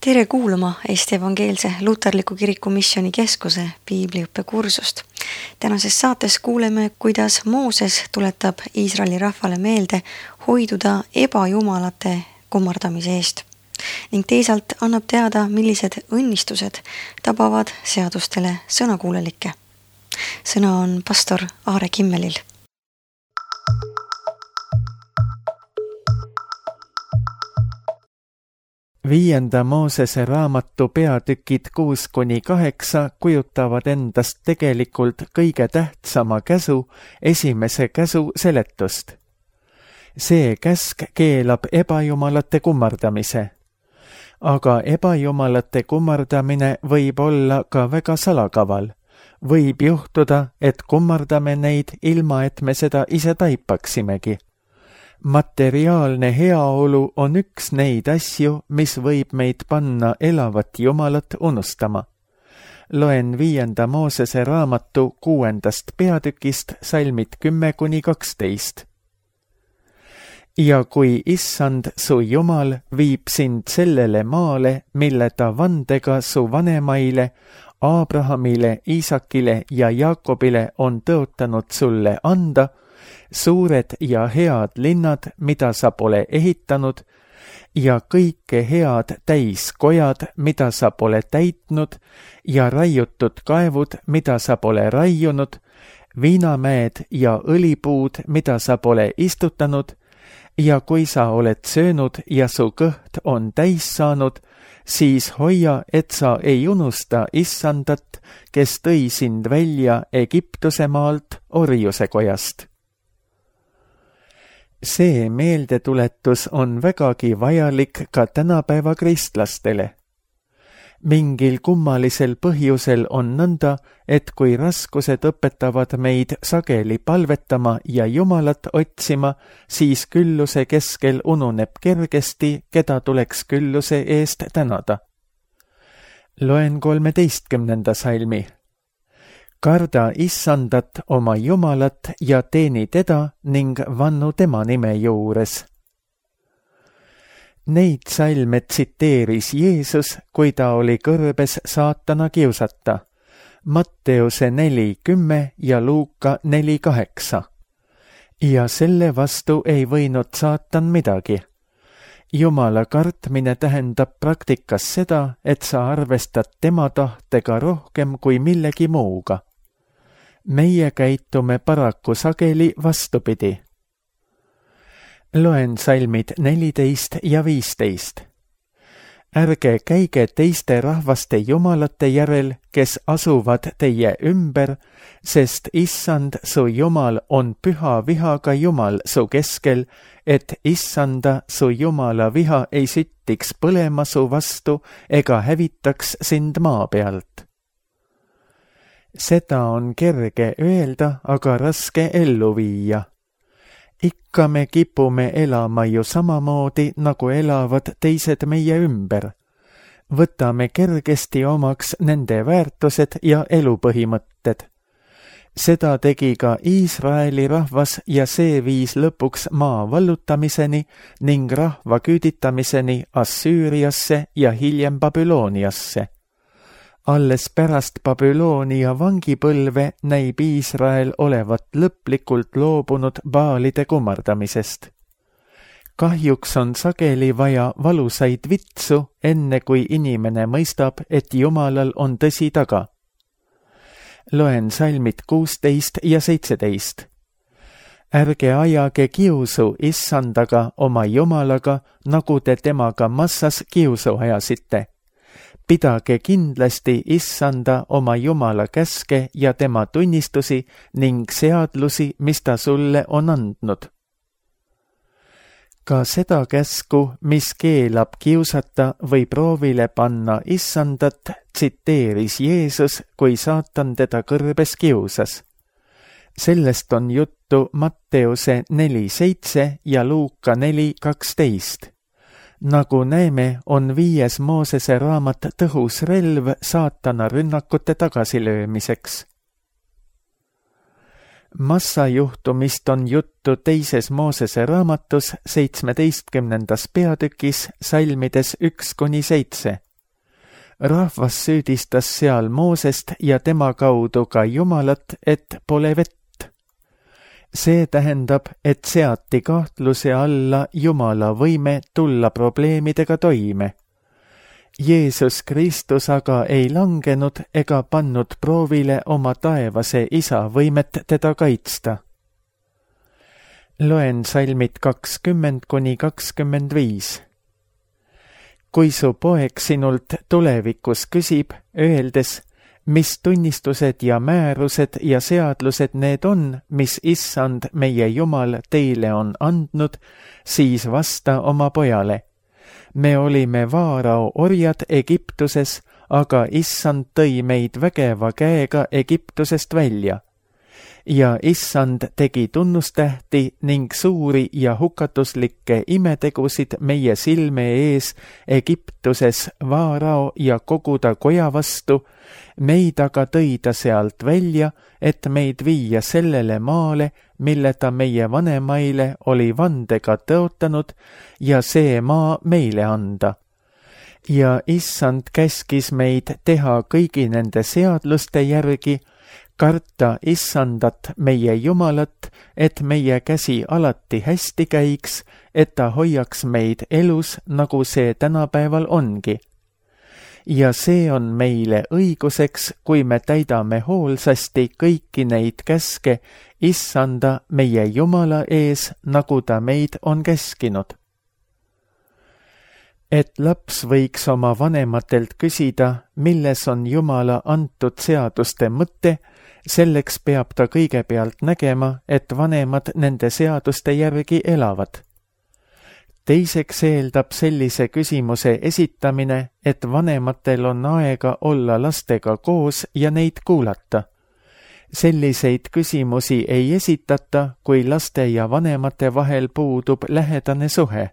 Tere kuulama Eesti Evangeelse Luterliku Kiriku Missioni Keskuse piibliõppekursust. Tänases saates kuuleme, kuidas Mooses tuletab Iisraeli rahvale meelde hoiduda ebajumalate kummardamise eest ning teisalt annab teada, millised õnnistused tabavad seadustele sõnakuulelikke. Sõna on pastor Aare Kimmelil. Viienda Moosese raamatu peatükid 6-8 kujutavad endast tegelikult kõige tähtsama käsu, esimese käsu seletust. See käsk keelab ebajumalate kummardamise. Aga ebajumalate kummardamine võib olla ka väga salakaval. Võib juhtuda, et kummardame neid ilma, et me seda ise taipaksimegi. Materiaalne heaolu on üks neid asju, mis võib meid panna elavat Jumalat unustama. Loen 5. Moosese raamatu 6. peatükist salmid 10-12. Ja kui Issand, su Jumal, viib sind sellele maale, mille ta vandega su vanemaile, Abrahamile, Iisakile ja Jaakobile on tõotanud sulle anda, suured ja head linnad, mida sa pole ehitanud, ja kõike head täiskojad, mida sa pole täitnud, ja raiutud kaevud, mida sa pole raiunud, viinamäed ja õlipuud, mida sa pole istutanud, ja kui sa oled söönud ja su kõht on täis saanud, siis hoia, et sa ei unusta Issandat, kes tõi sind välja Egiptuse maalt orjuse kojast. See meeldetuletus on vägagi vajalik ka tänapäeva kristlastele. Mingil kummalisel põhjusel on nõnda, et kui raskused õpetavad meid sageli palvetama ja Jumalat otsima, siis külluse keskel ununeb kergesti, keda tuleks külluse eest tänada. Loen 13. salmi. Karda Issandat oma Jumalat ja teeni teda ning vannu tema nime juures. Neid salme tsiteeris Jeesus, kui ta oli kõrbes saatana kiusata. Matteuse 4:10 ja Luuka 4:8. Ja selle vastu ei võinud saatan midagi. Jumala kartmine tähendab praktikas seda, et sa arvestad tema tahtega rohkem kui millegi muuga. Meie käitume paraku sageli vastupidi. Loen salmid 14 ja 15. Ärge käige teiste rahvaste jumalate järel, kes asuvad teie ümber, sest Issand, su Jumal, on püha vihaga Jumal su keskel, et Issanda, su Jumala viha ei süttiks põlema su vastu ega hävitaks sind maa pealt. Seda on kerge öelda, aga raske ellu viia. Ikka me kipume elama ju samamoodi, nagu elavad teised meie ümber. Võtame kergesti omaks nende väärtused ja elupõhimõtted. Seda tegi ka Iisraeli rahvas ja see viis lõpuks maa vallutamiseni ning rahva küüditamiseni Assüüriasse ja hiljem Babyloniasse. Alles pärast Babyloonia vangipõlve näib Iisrael olevat lõplikult loobunud baalide kummardamisest. Kahjuks on sageli vaja valusaid vitsu, enne kui inimene mõistab, et Jumalal on tõsi taga. Loen salmid 16 ja 17. Ärge ajage kiusu Issandaga oma Jumalaga, nagu te temaga massas kiusu ajasite. Pidage kindlasti Issanda oma Jumala käske ja tema tunnistusi ning seadlusi, mis ta sulle on andnud. Ka seda käsku, mis keelab kiusata või proovile panna Issandat, tsiteeris Jeesus, kui saatan teda kõrbes kiusas. Sellest on juttu Matteuse 4:7 ja Luuka 4:12. Nagu näeme, on 5. Moosese raamat tõhus relv saatana rünnakute tagasilöömiseks. Massajuhtumist on juttu 2. Moosese raamatus 17. peatükis salmides 1-7. Rahvas süüdistas seal Moosest ja tema kaudu ka Jumalat, et pole vett. See tähendab, et seati kahtluse alla Jumala võime tulla probleemidega toime. Jeesus Kristus aga ei langenud ega pannud proovile oma taevase isa võimet teda kaitsta. Loen salmid 20–25. Kui su poeg sinult tulevikus küsib, öeldes, mis tunnistused ja määrused ja seadlused need on, mis Issand meie Jumal teile on andnud, siis vasta oma pojale. Me olime Vaarao orjad Egiptuses, aga Issand tõi meid vägeva käega Egiptusest välja. Ja Issand tegi tunnustähti ning suuri ja hukatuslikke imetegusid meie silme ees Egiptuses Vaarao ja kogu ta koja vastu, meid aga tõi ta sealt välja, et meid viia sellele maale, mille ta meie vanemaile oli vandega tõotanud ja see maa meile anda. Ja Issand käskis meid teha kõigi nende seadluste järgi, karta Issandat meie Jumalat, et meie käsi alati hästi käiks, et ta hoiaks meid elus, nagu see tänapäeval ongi. Ja see on meile õiguseks, kui me täidame hoolsasti kõiki neid käske Issanda meie Jumala ees, nagu ta meid on käskinud. Et laps võiks oma vanematelt küsida, milles on Jumala antud seaduste mõte, selleks peab ta kõigepealt nägema, et vanemad nende seaduste järgi elavad. Teiseks eeldab sellise küsimuse esitamine, et vanematel on aega olla lastega koos ja neid kuulata. Selliseid küsimusi ei esitata, kui laste ja vanemate vahel puudub lähedane suhe.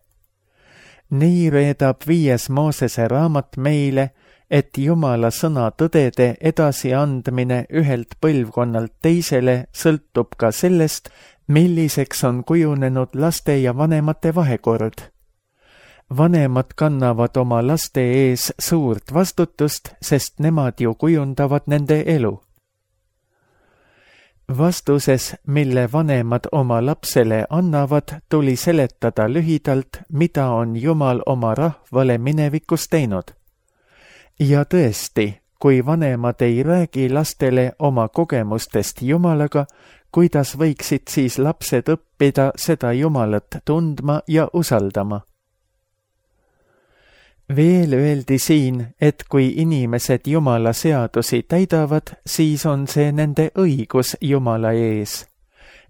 Nii reedab 5. Moosese raamat meile, et Jumala sõna tõdede edasiandmine ühelt põlvkonnalt teisele sõltub ka sellest, milliseks on kujunenud laste ja vanemate vahekord. Vanemad kannavad oma laste ees suurt vastutust, sest nemad ju kujundavad nende elu. Vastuses, mille vanemad oma lapsele annavad, tuli seletada lühidalt, mida on Jumal oma rahvale minevikus teinud. Ja tõesti, kui vanemad ei räägi lastele oma kogemustest Jumalaga, kuidas võiksid siis lapsed õppida seda Jumalat tundma ja usaldama? Veel öeldi siin, et kui inimesed Jumala seadusi täidavad, siis on see nende õigus Jumala ees.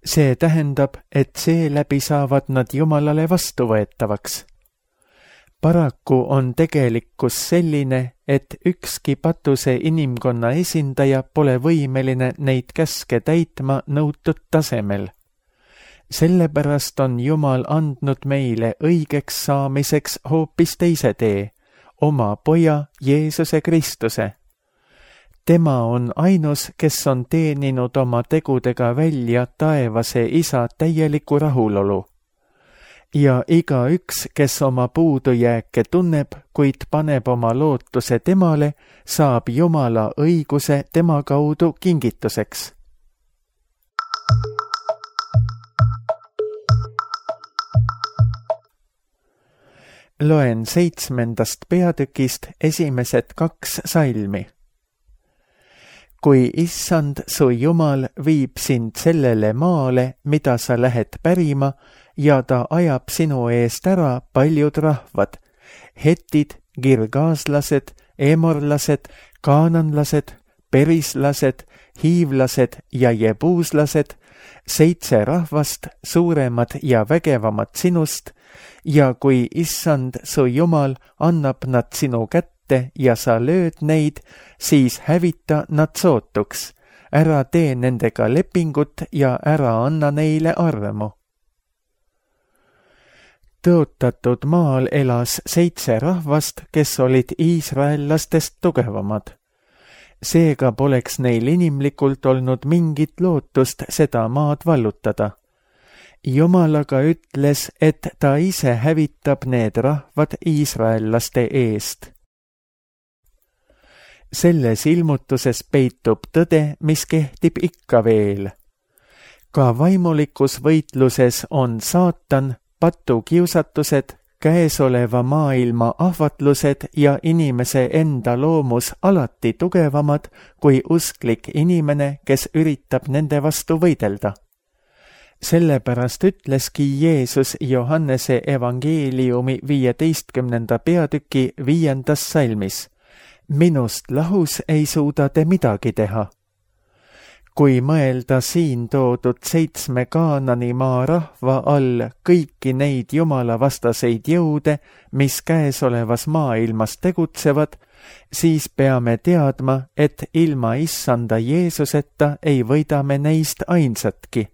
See tähendab, et seeläbi saavad nad Jumalale vastuvõetavaks. Paraku on tegelikkus selline, et ükski patuse inimkonna esindaja pole võimeline neid käske täitma nõutud tasemel. Sellepärast on Jumal andnud meile õigeks saamiseks hoopis teise tee, oma poja Jeesuse Kristuse. Tema on ainus, kes on teeninud oma tegudega välja taevase isa täieliku rahulolu. Ja igaüks, kes oma puudujääke tunneb, kuid paneb oma lootuse temale, saab Jumala õiguse tema kaudu kingituseks. Loen 7. peatükist esimesed 2 salmi. Kui Issand su Jumal viib sind sellele maale, mida sa lähed pärima, ja ta ajab sinu eest ära paljud rahvad, hetid, girgaaslased, emorlased, kaananlased, perislased, hiivlased ja jebuuslased, 7 rahvast, suuremad ja vägevamad sinust, ja kui Issand su Jumal annab nad sinu kätte ja sa lööd neid, siis hävita nad sootuks, ära tee nendega lepingut ja ära anna neile armu. Tõotatud maal elas 7 rahvast, kes olid iisraellastest tugevamad. Seega poleks neil inimlikult olnud mingit lootust seda maad vallutada. Jumal aga ütles, et ta ise hävitab need rahvad iisraellaste eest. Selles ilmutuses peitub tõde, mis kehtib ikka veel. Ka vaimulikus võitluses on saatan, patukiusatused, käesoleva maailma ahvatlused ja inimese enda loomus alati tugevamad kui usklik inimene, kes üritab nende vastu võidelda. Sellepärast ütleski Jeesus Johannese evangeeliumi 15. peatüki 5. salmis: minust lahus ei suuda te midagi teha. Kui mõelda siin toodud 7 Kaananimaa rahva all kõiki neid jumalavastaseid jõude, mis käesolevas maailmas tegutsevad, siis peame teadma, et ilma issanda Jeesuseta ei võida me neist ainsatki.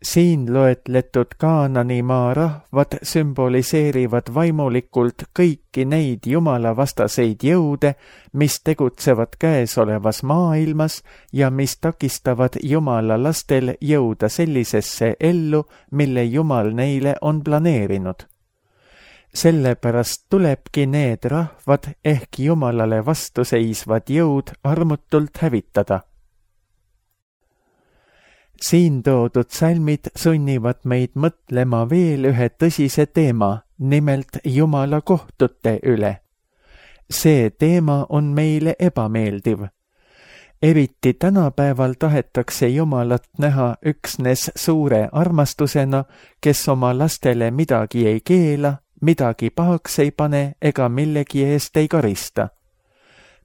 Siin loetletud Kaananimaa rahvad sümboliseerivad vaimulikult kõiki neid jumalavastaseid jõude, mis tegutsevad käesolevas maailmas ja mis takistavad Jumala lastel jõuda sellisesse ellu, mille Jumal neile on planeerinud. Sellepärast tulebki need rahvad ehk Jumalale vastuseisvad jõud armutult hävitada. Siin toodud salmid sunnivad meid mõtlema veel ühe tõsise teema, nimelt Jumala kohtute üle. See teema on meile ebameeldiv. Eriti tänapäeval tahetakse Jumalat näha üksnes suure armastusena, kes oma lastele midagi ei keela, midagi pahaks ei pane ega millegi eest ei karista.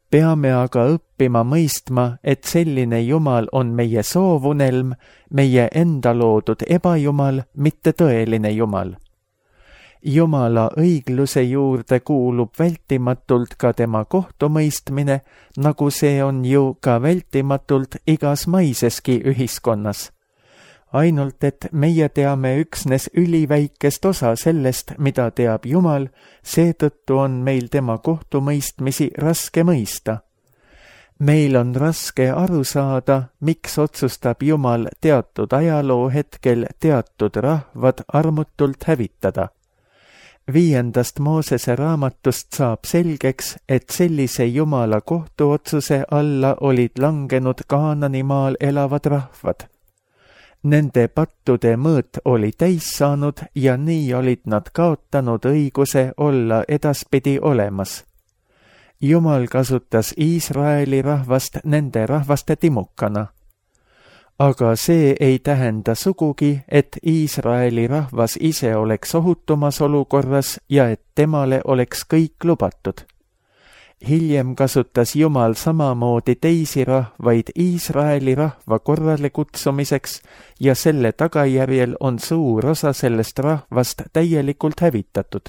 Peame aga õppima mõistma, et selline Jumal on meie soovunelm, meie enda loodud ebajumal, mitte tõeline Jumal. Jumala õigluse juurde kuulub vältimatult ka tema kohtumõistmine, nagu see on ju ka vältimatult igas maiseski ühiskonnas. Ainult et meie teame üksnes üliväikest osa sellest, mida teab Jumal, seetõttu on meil tema kohtumõistmisi raske mõista. Meil on raske aru saada, miks otsustab Jumal teatud ajaloo hetkel teatud rahvad armutult hävitada. 5. Moosese raamatust saab selgeks, et sellise Jumala kohtuotsuse alla olid langenud Kaananimaal elavad rahvad. Nende pattude mõõt oli täis saanud ja nii olid nad kaotanud õiguse olla edaspidi olemas. Jumal kasutas Iisraeli rahvast nende rahvaste timukana. Aga see ei tähenda sugugi, et Iisraeli rahvas ise oleks ohutumas olukorras ja et temale oleks kõik lubatud. Hiljem kasutas Jumal samamoodi teisi rahvaid Iisraeli rahva korrale kutsumiseks ja selle tagajärjel on suur osa sellest rahvast täielikult hävitatud.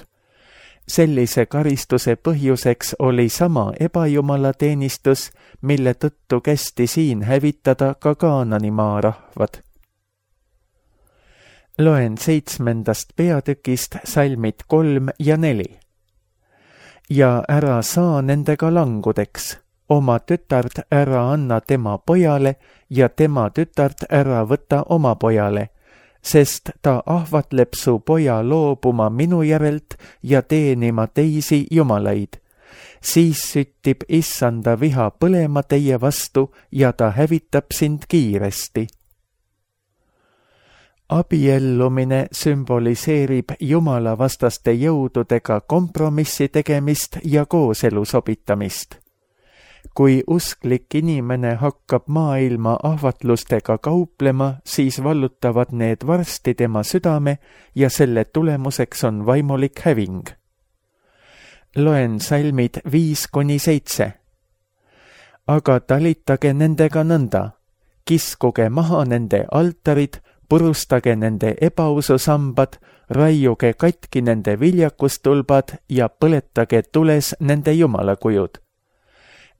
Sellise karistuse põhjuseks oli sama ebajumalateenistus, mille tõttu kästi siin hävitada ka Kaananimaa rahvad. Loen 7. peatükist salmid 3 ja 4. Ja ära saa nendega langudeks, oma tütard ära anna tema pojale ja tema tütard ära võta oma pojale, sest ta ahvatleb su poja loobuma minu järelt ja teenima teisi jumalaid. Siis süttib issanda viha põlema teie vastu ja ta hävitab sind kiiresti. Abiellumine sümboliseerib jumalavastaste jõududega kompromissi tegemist ja kooselu sobitamist. Kui usklik inimene hakkab maailma ahvatlustega kauplema, siis vallutavad need varsti tema südame ja selle tulemuseks on vaimulik häving. Loen salmid 5-7. Aga talitage nendega nõnda, kiskuge maha nende altarid, purustage nende ebaususambad, raiuge katki nende viljakustulbad ja põletage tules nende jumalakujud.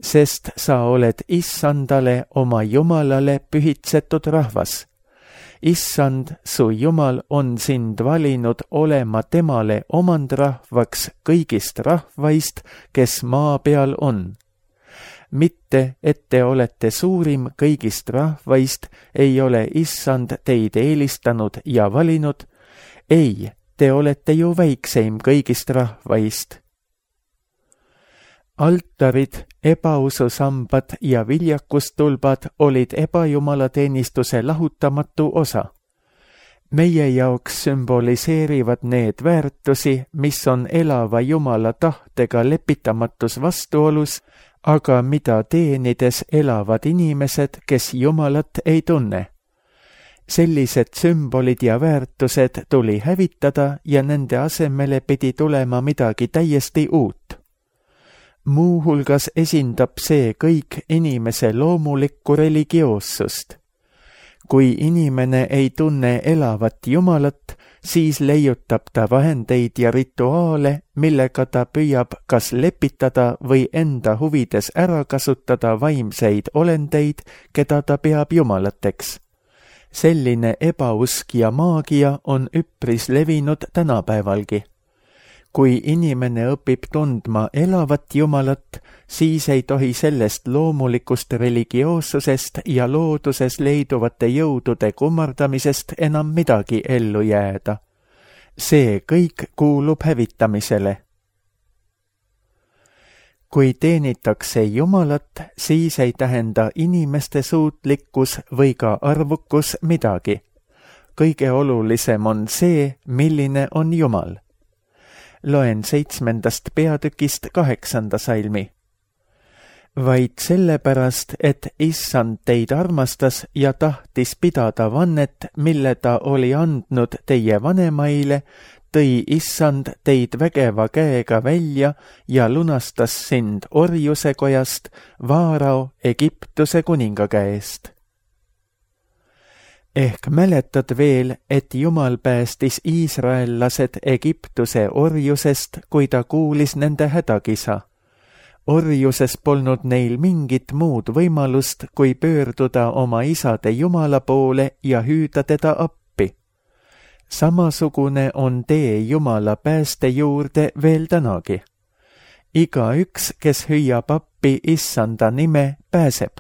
Sest sa oled issandale oma jumalale pühitsetud rahvas. Issand, su jumal on sind valinud olema temale omandrahvaks kõigist rahvaist, kes maa peal on. Mitte, et te olete suurim kõigist rahvaist, ei ole issand teid eelistanud ja valinud. Ei, te olete ju väikseim kõigist rahvaist. Altarid, ebaususambad ja viljakustulbad olid ebajumalateenistuse lahutamatu osa. Meie jaoks sümboliseerivad need väärtusi, mis on elava Jumala tahtega lepitamatus vastuolus, aga mida teenides elavad inimesed, kes Jumalat ei tunne. Sellised sümbolid ja väärtused tuli hävitada ja nende asemele pidi tulema midagi täiesti uut. Muuhulgas esindab see kõik inimese loomulikku religioossust. Kui inimene ei tunne elavat Jumalat, siis leiutab ta vahendeid ja rituaale, millega ta püüab kas lepitada või enda huvides ära kasutada vaimseid olendeid, keda ta peab jumalateks. Selline ebausk ja maagia on üpris levinud tänapäevalgi. Kui inimene õpib tundma elavat Jumalat, siis ei tohi sellest loomulikust religioossusest ja looduses leiduvate jõudude kummardamisest enam midagi ellu jääda. See kõik kuulub hävitamisele. Kui teenitakse Jumalat, siis ei tähenda inimeste suutlikkus või ka arvukus midagi. Kõige olulisem on see, milline on Jumal. Loen 7. peatükist 8. salmi. Vaid sellepärast, et Issand teid armastas ja tahtis pidada vannet, mille ta oli andnud teie vanemaile, tõi Issand teid vägeva käega välja ja lunastas sind orjuse kojast, Vaarao Egiptuse kuninga käest. Ehk mäletad veel, et Jumal päästis iisraellased Egiptuse orjusest, kui ta kuulis nende hädakisa. Orjuses polnud neil mingit muud võimalust, kui pöörduda oma isade Jumala poole ja hüüda teda appi. Samasugune on tee Jumala pääste juurde veel tänagi. Igaüks, kes hüüab appi Issanda nime, pääseb.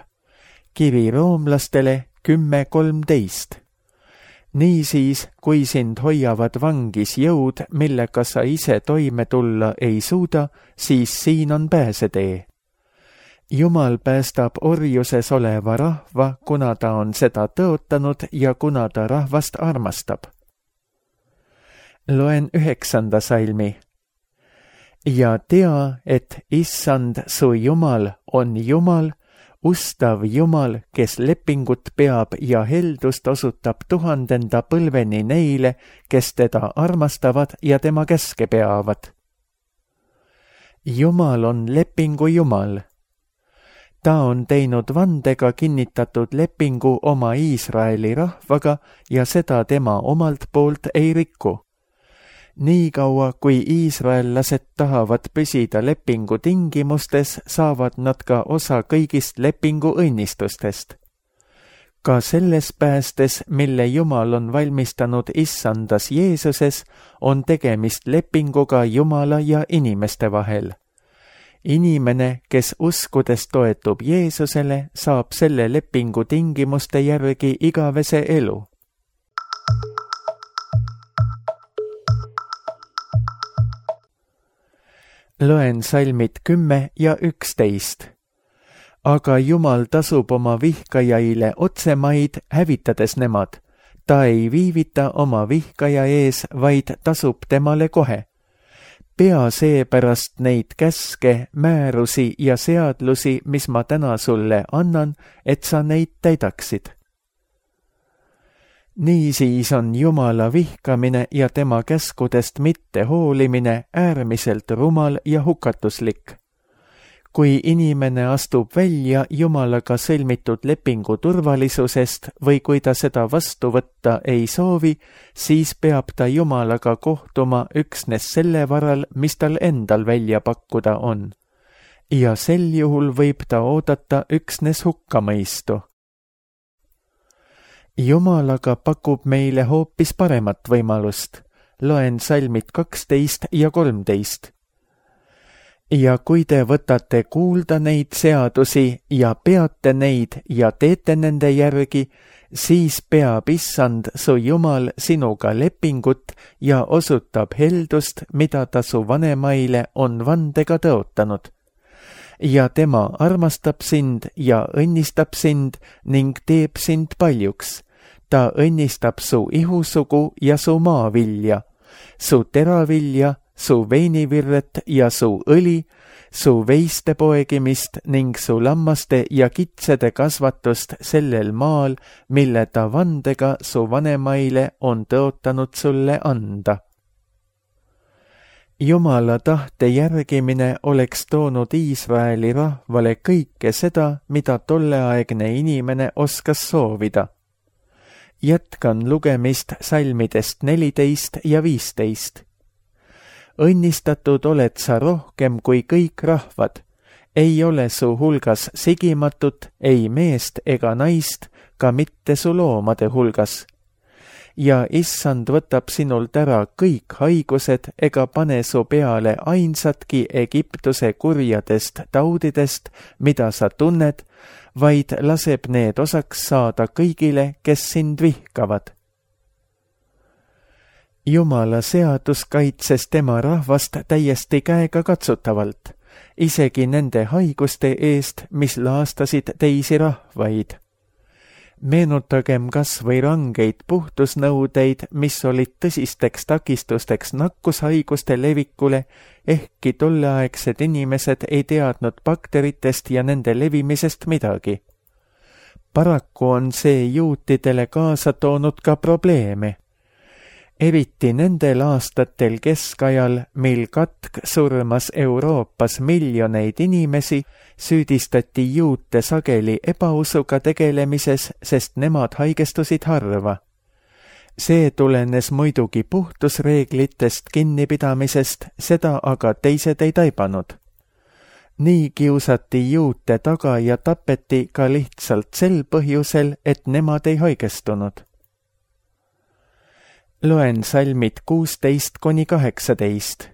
Kiri roomlastele 10:13. Niisiis, kui sind hoiavad vangis jõud, millega sa ise toime tulla ei suuda, siis siin on pääsetee. Jumal päästab orjuses oleva rahva, kuna ta on seda tõotanud ja kuna ta rahvast armastab. Loen 9. salmi. Ja tea, et Issand su Jumal on Jumal, ustav Jumal, kes lepingut peab ja heldust osutab 1000. põlveni neile, kes teda armastavad ja tema käske peavad. Jumal on lepingu Jumal. Ta on teinud vandega kinnitatud lepingu oma Iisraeli rahvaga ja seda tema omalt poolt ei riku. Niikaua, kui iisraellased tahavad püsida lepingu tingimustes, saavad nad ka osa kõigist lepingu õnnistustest. Ka selles päästes, mille Jumal on valmistanud Issandas Jeesuses, on tegemist lepinguga Jumala ja inimeste vahel. Inimene, kes uskudes toetub Jeesusele, saab selle lepingu tingimuste järgi igavese elu. Loen salmid 10 ja 11. Aga Jumal tasub oma vihkajaile otsemaid, hävitades nemad. Ta ei viivita oma vihkaja ees, vaid tasub temale kohe. Pea seepärast neid käske, määrusi ja seadlusi, mis ma täna sulle annan, et sa neid täidaksid. Niisiis on Jumala vihkamine ja tema käskudest mitte hoolimine äärmiselt rumal ja hukatuslik. Kui inimene astub välja Jumalaga sõlmitud lepingu turvalisusest või kui ta seda vastu võtta ei soovi, siis peab ta Jumalaga kohtuma üksnes selle varal, mis tal endal välja pakkuda on. Ja sel juhul võib ta oodata üksnes hukkamõistu. Jumalaga pakub meile hoopis paremat võimalust. Loen salmid 12 ja 13. Ja kui te võtate kuulda neid seadusi ja peate neid ja teete nende järgi, siis peab Issand su Jumal sinuga lepingut ja osutab heldust, mida ta su vanemaile on vandega tõotanud. ja tema armastab sind ja õnnistab sind ning teeb sind paljuks. Ta õnnistab su ihusugu ja su maavilja, su teravilja, su veinivirret ja su õli, su veiste poegimist ning su lammaste ja kitsede kasvatust sellel maal, mille ta vandega su vanemaile on tõotanud sulle anda. Jumala tahte järgimine oleks toonud Iisraeli rahvale kõike seda, mida tolleaegne inimene oskas soovida. Jätkan lugemist salmidest 14 ja 15. Õnnistatud oled sa rohkem kui kõik rahvad. Ei ole su hulgas sigimatut, ei meest ega naist, ka mitte su loomade hulgas. Ja issand võtab sinult ära kõik haigused ega pane su peale ainsatki Egiptuse kurjadest taudidest, mida sa tunned, vaid laseb need osaks saada kõigile, kes sind vihkavad. Jumala seadus kaitses tema rahvast täiesti käega katsutavalt, isegi nende haiguste eest, mis laastasid teisi rahvaid. Meenutagem kas või rangeid puhtusnõudeid, mis olid tõsisteks takistusteks nakkushaiguste levikule, ehkki tolleaegsed inimesed ei teadnud bakteritest ja nende levimisest midagi. Paraku on see juutidele kaasa toonud ka probleeme. Eriti nendel aastatel keskajal, mil katk surmas Euroopas miljoneid inimesi, süüdistati juute sageli ebausuga tegelemises, sest nemad haigestusid harva. See tulenes muidugi puhtusreeglitest kinnipidamisest, seda aga teised ei taibanud. Nii kiusati juute taga ja tapeti ka lihtsalt sel põhjusel, et nemad ei haigestunud. Loen salmid 16–18.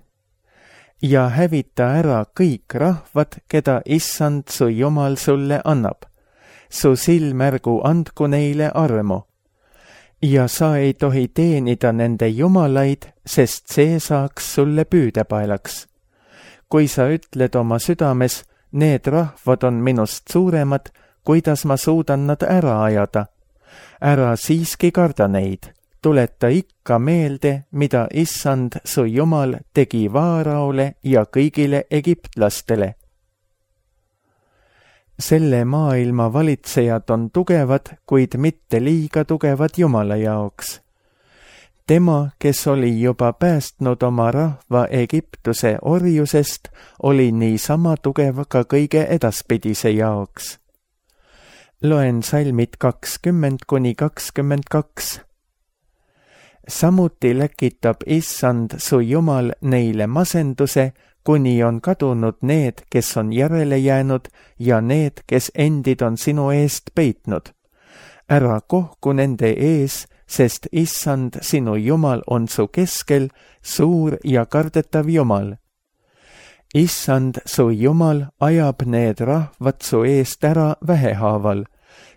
Ja hävita ära kõik rahvad, keda issand su Jumal sulle annab. Su silmärgu andku neile armu. Ja sa ei tohi teenida nende jumalaid, sest see saaks sulle püüdepaelaks. Kui sa ütled oma südames, need rahvad on minust suuremad, kuidas ma suudan nad ära ajada. Ära siiski karda neid. Tuleta ikka meelde, mida issand su Jumal tegi Vaaraole ja kõigile egiptlastele. Selle maailma valitsejad on tugevad, kuid mitte liiga tugevad Jumala jaoks. Tema, kes oli juba päästnud oma rahva Egiptuse orjusest, oli niisama tugev ka kõige edaspidise jaoks. Loen salmid 20–22. Samuti läkitab issand su Jumal neile masenduse, kuni on kadunud need, kes on järele jäänud ja need, kes endid on sinu eest peitnud. Ära kohku nende ees, sest issand sinu Jumal on su keskel, suur ja kardetav Jumal. Issand su Jumal ajab need rahvad su eest ära vähehaaval.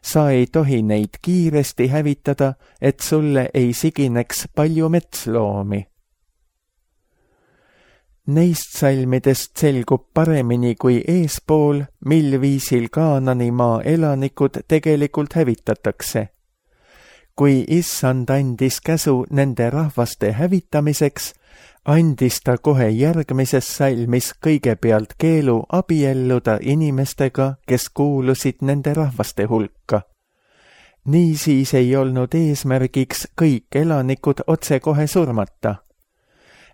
Sa ei tohi neid kiiresti hävitada, et sulle ei sigineks palju metsloomi. Neist salmidest selgub paremini kui eespool, mil viisil Kaanani maa elanikud tegelikult hävitatakse. Kui issand andis käsu nende rahvaste hävitamiseks, andis ta kohe järgmises salmis kõigepealt keelu abielluda inimestega, kes kuulusid nende rahvaste hulka. Niisiis ei olnud eesmärgiks kõik elanikud otsekohe surmata.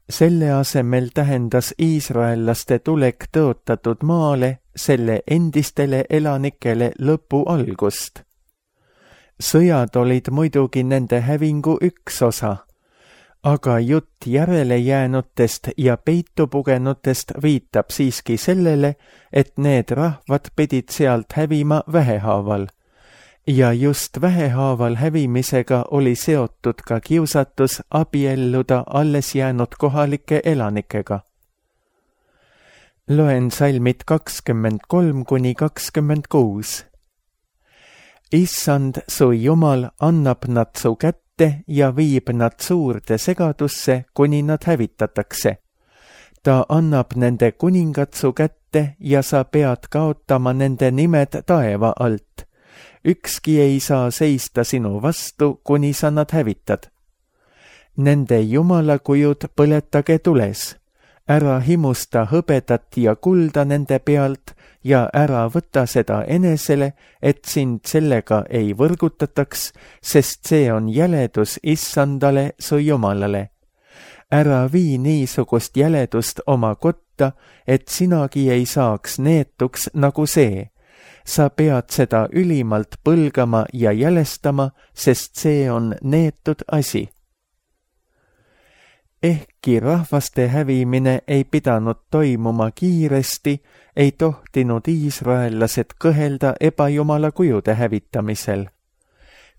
Selle asemel tähendas iisraellaste tulek tõotatud maale selle endistele elanikele lõpu algust. Sõjad olid muidugi nende hävingu üks osa, aga jutt järele jäänutest ja peitu pugenutest viitab siiski sellele, et need rahvad pidid sealt hävima vähehaaval. Ja just vähehaaval hävimisega oli seotud ka kiusatus abielluda alles jäänud kohalike elanikega. Loen salmid 23–26. Issand su Jumal annab nad su kätte ja viib nad suurde segadusse, kuni nad hävitatakse. Ta annab nende kuningad su kätte ette ja sa pead kaotama nende nimed taeva alt. Ükski ei saa seista sinu vastu, kuni sa nad hävitad. Nende jumalakujud põletage tules. Ära himusta hõbedat ja kulda nende pealt ja ära võta seda enesele, et sind sellega ei võrgutataks, sest see on jäledus issandale su jumalale. Ära vii niisugust jäledust oma kotta, et sinagi ei saaks neetuks nagu see. Sa pead seda ülimalt põlgama ja jälestama, sest see on neetud asi. Ehkki rahvaste hävimine ei pidanud toimuma kiiresti, ei tohtinud iisraellased kõhelda ebajumala kujude hävitamisel.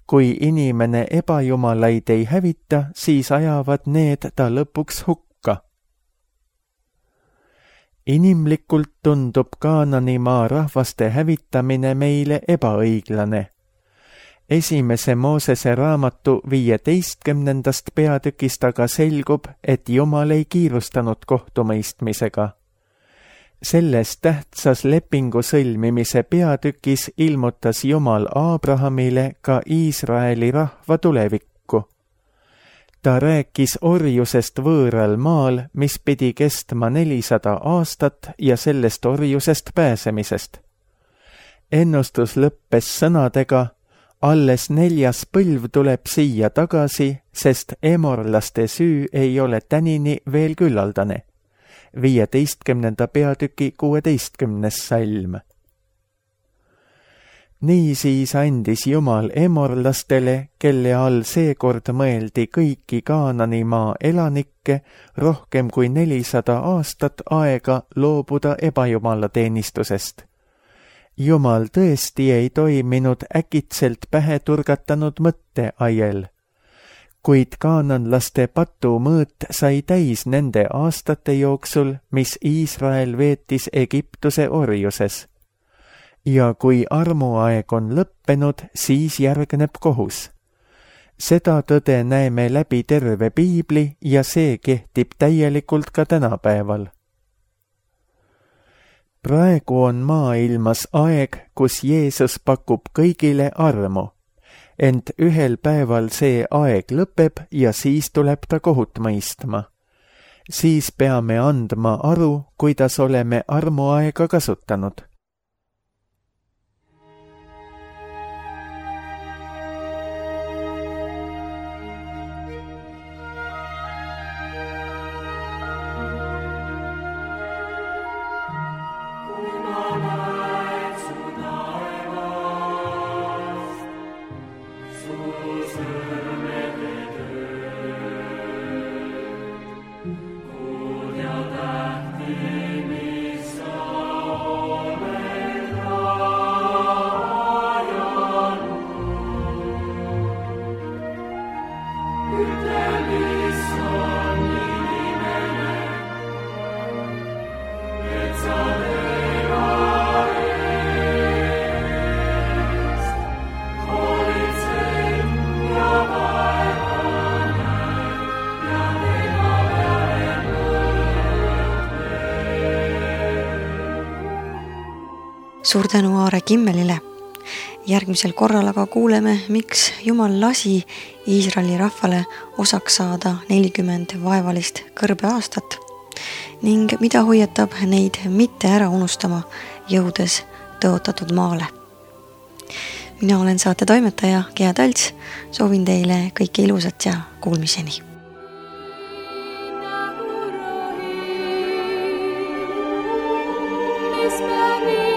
Kui inimene ebajumalaid ei hävita, siis ajavad need ta lõpuks hukka. Inimlikult tundub Kaananimaa rahvaste hävitamine meile ebaõiglane. Esimese Moosese raamatu 15. peatükist aga selgub, et Jumal ei kiirustanud kohtumõistmisega. Selles tähtsas lepingu sõlmimise peatükis ilmutas Jumal Aabrahamile ka Iisraeli rahva tulevikku. Ta rääkis orjusest võõral maal, mis pidi kestma 400 aastat ja sellest orjusest pääsemisest. Ennustus lõppes sõnadega: alles 4. põlv tuleb siia tagasi, sest emorlaste süü ei ole tänini veel küllaldane. 15. peatüki 16. salm. Niisiis andis Jumal emorlastele, kelle all seekord mõeldi kõiki Kaananimaa elanikke, rohkem kui 400 aastat aega loobuda ebajumala teenistusest. Jumal tõesti ei toiminud äkitselt pähe turgatanud mõtteaiel, kuid kaananlaste patumõõt sai täis nende aastate jooksul, mis Iisrael veetis Egiptuse orjuses. Ja kui armuaeg on lõppenud, siis järgneb kohus. Seda tõde näeme läbi terve piibli ja see kehtib täielikult ka tänapäeval. Praegu on maailmas aeg, kus Jeesus pakub kõigile armu, ent ühel päeval see aeg lõpeb ja siis tuleb ta kohut mõistma. Siis peame andma aru, kuidas oleme armuaega kasutanud. Suur tänu Aare Kimmelile. Järgmisel korral aga kuuleme, miks Jumal lasi Iisraeli rahvale osaks saada 40 vaevalist kõrbeaastat ning mida hoiatab neid mitte ära unustama, jõudes tõotatud maale. Mina olen saate toimetaja Gea Talts, soovin teile kõike ilusat ja kuulmiseni. Spani